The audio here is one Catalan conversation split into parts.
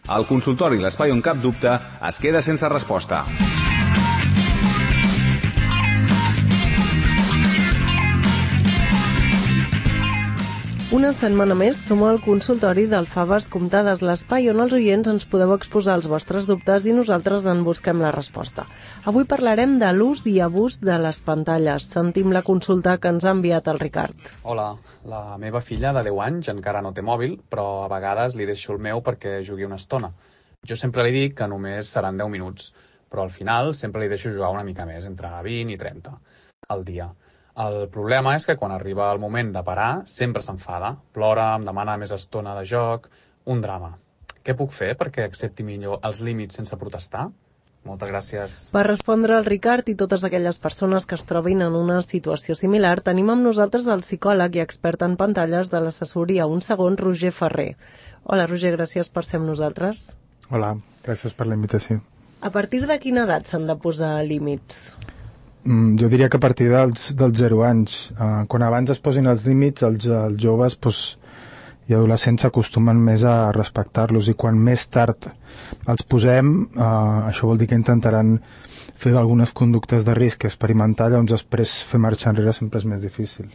El consultori L'Espai on cap dubte es queda sense resposta. Una setmana més som al consultori del Faves Comptades, l'espai on els oients ens podeu exposar els vostres dubtes i nosaltres en busquem la resposta. Avui parlarem de l'ús i abús de les pantalles. Sentim la consulta que ens ha enviat el Ricard. Hola, la meva filla de 10 anys encara no té mòbil, però a vegades li deixo el meu perquè jugui una estona. Jo sempre li dic que només seran 10 minuts, però al final sempre li deixo jugar una mica més, entre 20 i 30 al dia. El problema és que quan arriba el moment de parar sempre s'enfada, plora, em demana més estona de joc, un drama. Què puc fer perquè accepti millor els límits sense protestar? Moltes gràcies. Per respondre al Ricard i totes aquelles persones que es trobin en una situació similar, tenim amb nosaltres el psicòleg i expert en pantalles de l'assessoria Un Segon, Roger Ferrer. Hola, Roger, gràcies per ser amb nosaltres. Hola, gràcies per la invitació. A partir de quina edat s'han de posar límits? Jo diria que a partir dels 0 anys. Quan abans es posin els límits, els joves i adolescents s'acostumen més a respectar-los, i quan més tard els posem, això vol dir que intentaran fer algunes conductes de risc experimentar, llavors després fer marxa enrere sempre és més difícil.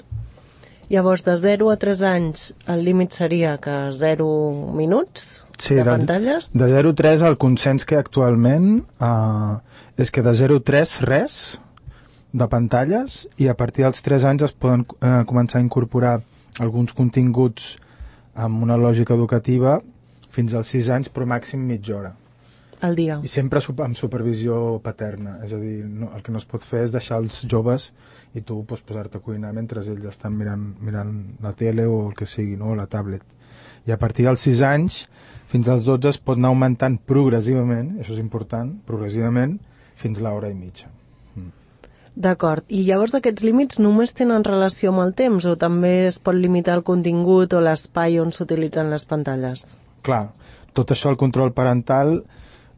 Llavors, de 0 a 3 anys, el límit seria que 0 minuts de pantalles? De 0 a 3 el consens que hi ha actualment és que de 0 a 3 res de pantalles, i a partir dels 3 anys es poden començar a incorporar alguns continguts amb una lògica educativa fins als 6 anys, però màxim mitja hora. Al dia. I sempre amb supervisió paterna, és a dir, el que no es pot fer és deixar els joves i tu posar-te a cuinar mentre ells estan mirant la tele o el que sigui, no? O la tablet. I a partir dels 6 anys fins als 12 es pot anar augmentant progressivament, això és important, progressivament, fins a l'hora i mitja. D'acord. I llavors aquests límits només tenen relació amb el temps o també es pot limitar el contingut o l'espai on s'utilitzen les pantalles? Clar, tot això, el control parental,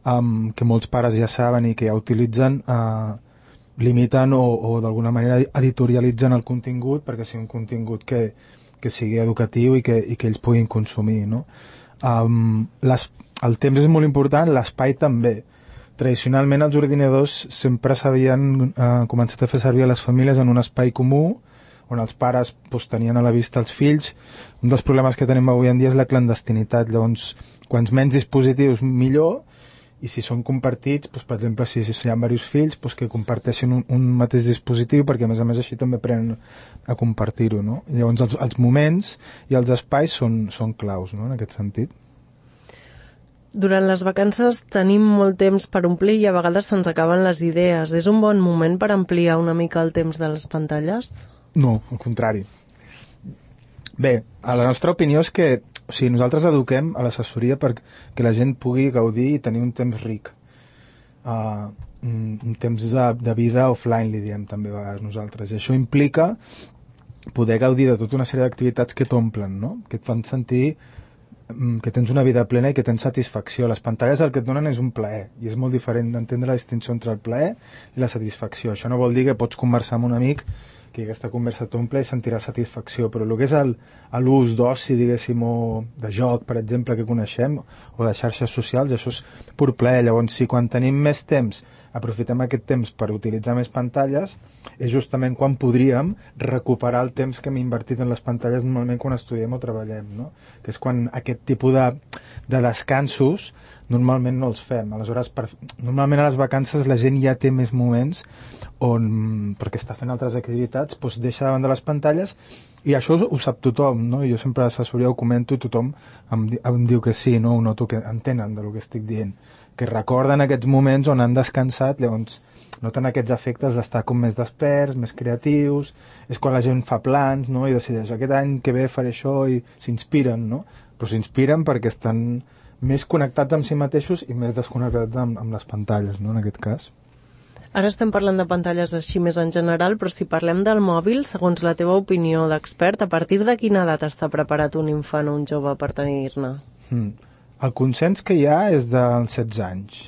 que molts pares ja saben i que ja utilitzen, limiten o d'alguna manera editorialitzen el contingut perquè sigui un contingut que sigui educatiu i que ells puguin consumir, no? El temps és molt important, l'espai també. Tradicionalment els ordinadors sempre s'havien començat a fer servir a les famílies en un espai comú on els pares tenien a la vista els fills. Un dels problemes que tenim avui en dia és la clandestinitat, llavors quants menys dispositius millor, i si són compartits, per exemple, si hi ha diversos fills, que comparteixin un mateix dispositiu, perquè a més així també aprenen a compartir-ho, no? Llavors els moments i els espais són claus, no?, en aquest sentit. Durant les vacances tenim molt temps per omplir i a vegades se'ns acaben les idees. És un bon moment per ampliar una mica el temps de les pantalles? No, al contrari. Bé, la nostra opinió és que nosaltres eduquem a l'assessoria perquè la gent pugui gaudir i tenir un temps ric. Un temps de vida offline, li diem també a vegades nosaltres. I això implica poder gaudir de tota una sèrie d'activitats que t'omplen, no?, que et fan sentir que tens una vida plena i que tens satisfacció. Les pantalles el que et donen és un plaer, i és molt diferent d'entendre la distinció entre el plaer i la satisfacció. Això no vol dir que pots conversar amb un amic que aquesta conversa t'omple i sentiràs satisfacció, però el que és l'ús d'oci, diguéssim, o de joc, per exemple, que coneixem, o de xarxes socials, això és pur plaer. Llavors, si quan tenim més temps aprofitem aquest temps per utilitzar més pantalles, és justament quan podríem recuperar el temps que hem invertit en les pantalles normalment quan estudiem o treballem, no? Que és quan aquest tipus de descansos normalment no els fem. Aleshores, normalment a les vacances la gent ja té més moments on, perquè està fent altres activitats, deixa davant de les pantalles, i això ho sap tothom, no? Jo sempre a l'assessoria ho comento i tothom em diu que sí, no? Ho noto que entenen del que estic dient, que recorden aquests moments on han descansat, llavors noten aquests efectes d'estar com més desperts, més creatius, és quan la gent fa plans, no?, i decideix aquest any que ve faré això, i s'inspiren, no? Però s'inspiren perquè estan més connectats amb si mateixos i més desconnectats amb les pantalles, no?, en aquest cas. Ara estem parlant de pantalles així més en general, però si parlem del mòbil, segons la teva opinió d'expert, a partir de quina edat està preparat un infant o un jove per tenir-ne? El consens que hi ha és dels 16 anys.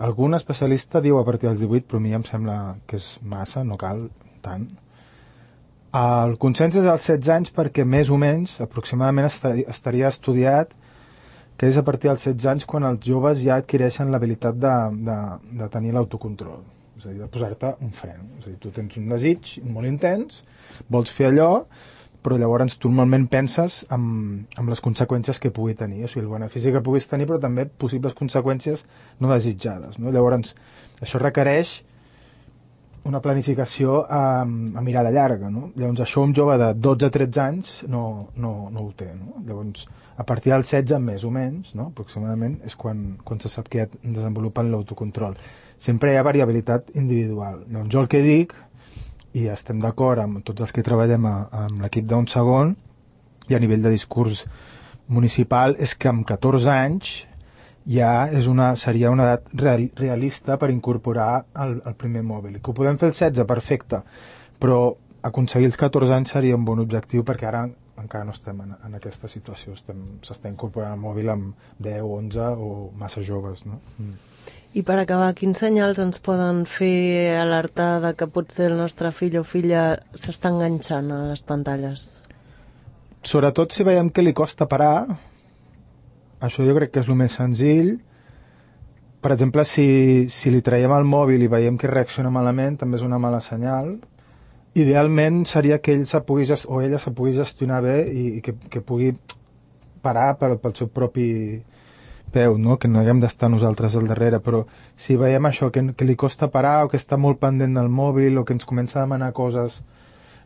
Algun especialista diu a partir dels 18, però a mi em sembla que és massa, no cal tant. El consens és als 16 anys perquè més o menys, aproximadament, estaria estudiat que és a partir dels 16 anys quan els joves ja adquireixen l'habilitat de tenir l'autocontrol, és a dir, de posar-te un fre. És a dir, tu tens un desig molt intens, vols fer allò, però llavors tu normalment penses en les conseqüències que pugui tenir, o sigui, el benefici que puguis tenir, però també possibles conseqüències no desitjades, no? Llavors, això requereix una planificació a mirada llarga, no? Llavors, això un jove de 12-13 anys no ho té, no? Llavors, a partir dels 16, més o menys, no? Aproximadament, és quan se sap que ja desenvolupen l'autocontrol. Sempre hi ha variabilitat individual. Llavors, jo el que dic, i estem d'acord amb tots els que treballem amb l'equip d'un segon, i a nivell de discurs municipal, és que amb 14 anys ja seria una edat realista per incorporar el primer mòbil. Que ho podem fer als 16, perfecte, però aconseguir els 14 anys seria un bon objectiu, perquè ara encara no estem en aquesta situació, s'està incorporant el mòbil amb 10, 11 o massa joves, no? I per acabar, quins senyals ens poden fer alertar de que potser el nostre fill o filla s'està enganxant a les pantalles? Sobretot si veiem que li costa parar. Això jo crec que és el més senzill. Per exemple, si li traiem el mòbil i veiem que reacciona malament, també és una mala senyal. Idealment seria que ell o ella se pugui gestionar bé i que pugui parar pel seu propi peu, no? Que no haguem d'estar nosaltres al darrere, però si veiem això, que li costa parar o que està molt pendent del mòbil o que ens comença a demanar coses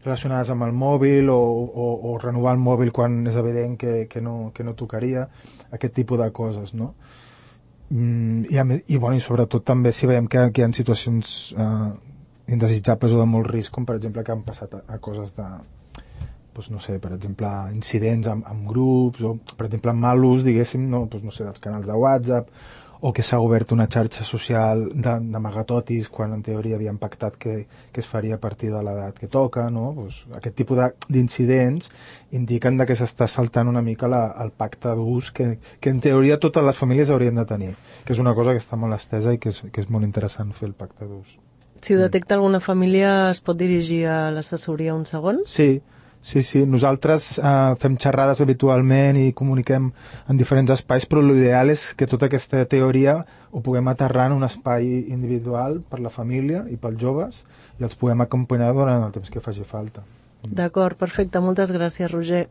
relacionades amb el mòbil o renovar el mòbil quan és evident que no tocaria, aquest tipus de coses, no? I sobretot també si veiem que hi ha situacions indesitjables o de molt risc, com per exemple que han passat a coses de, doncs no sé, per exemple, incidents amb grups, o per exemple amb mal ús, diguéssim, dels canals de WhatsApp, o que s'ha obert una xarxa social d'amagatotis quan en teoria havien pactat que es faria a partir de l'edat que toca, no? Aquest tipus d'incidents indiquen que s'està saltant una mica el pacte d'ús que en teoria totes les famílies haurien de tenir, que és una cosa que està molt estesa i que és molt interessant fer el pacte d'ús. Si ho detecta alguna família, es pot dirigir a l'assessoria un segon? Sí. Nosaltres fem xerrades habitualment i comuniquem en diferents espais, però l'ideal és que tota aquesta teoria ho puguem aterrar en un espai individual per la família i pels joves i els puguem acompanyar durant el temps que faci falta. D'acord, perfecte. Moltes gràcies, Roger.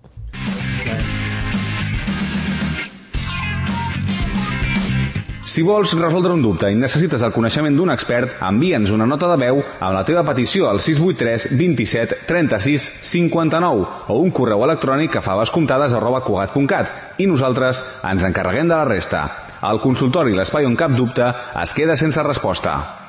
Si vols resoldre un dubte i necessites el coneixement d'un expert, envia'ns una nota de veu amb la teva petició al 683 27 36 59 o un correu electrònic a favascomptades@cugat.cat i nosaltres ens encarreguem de la resta. El consultori L'Espai on cap dubte es queda sense resposta.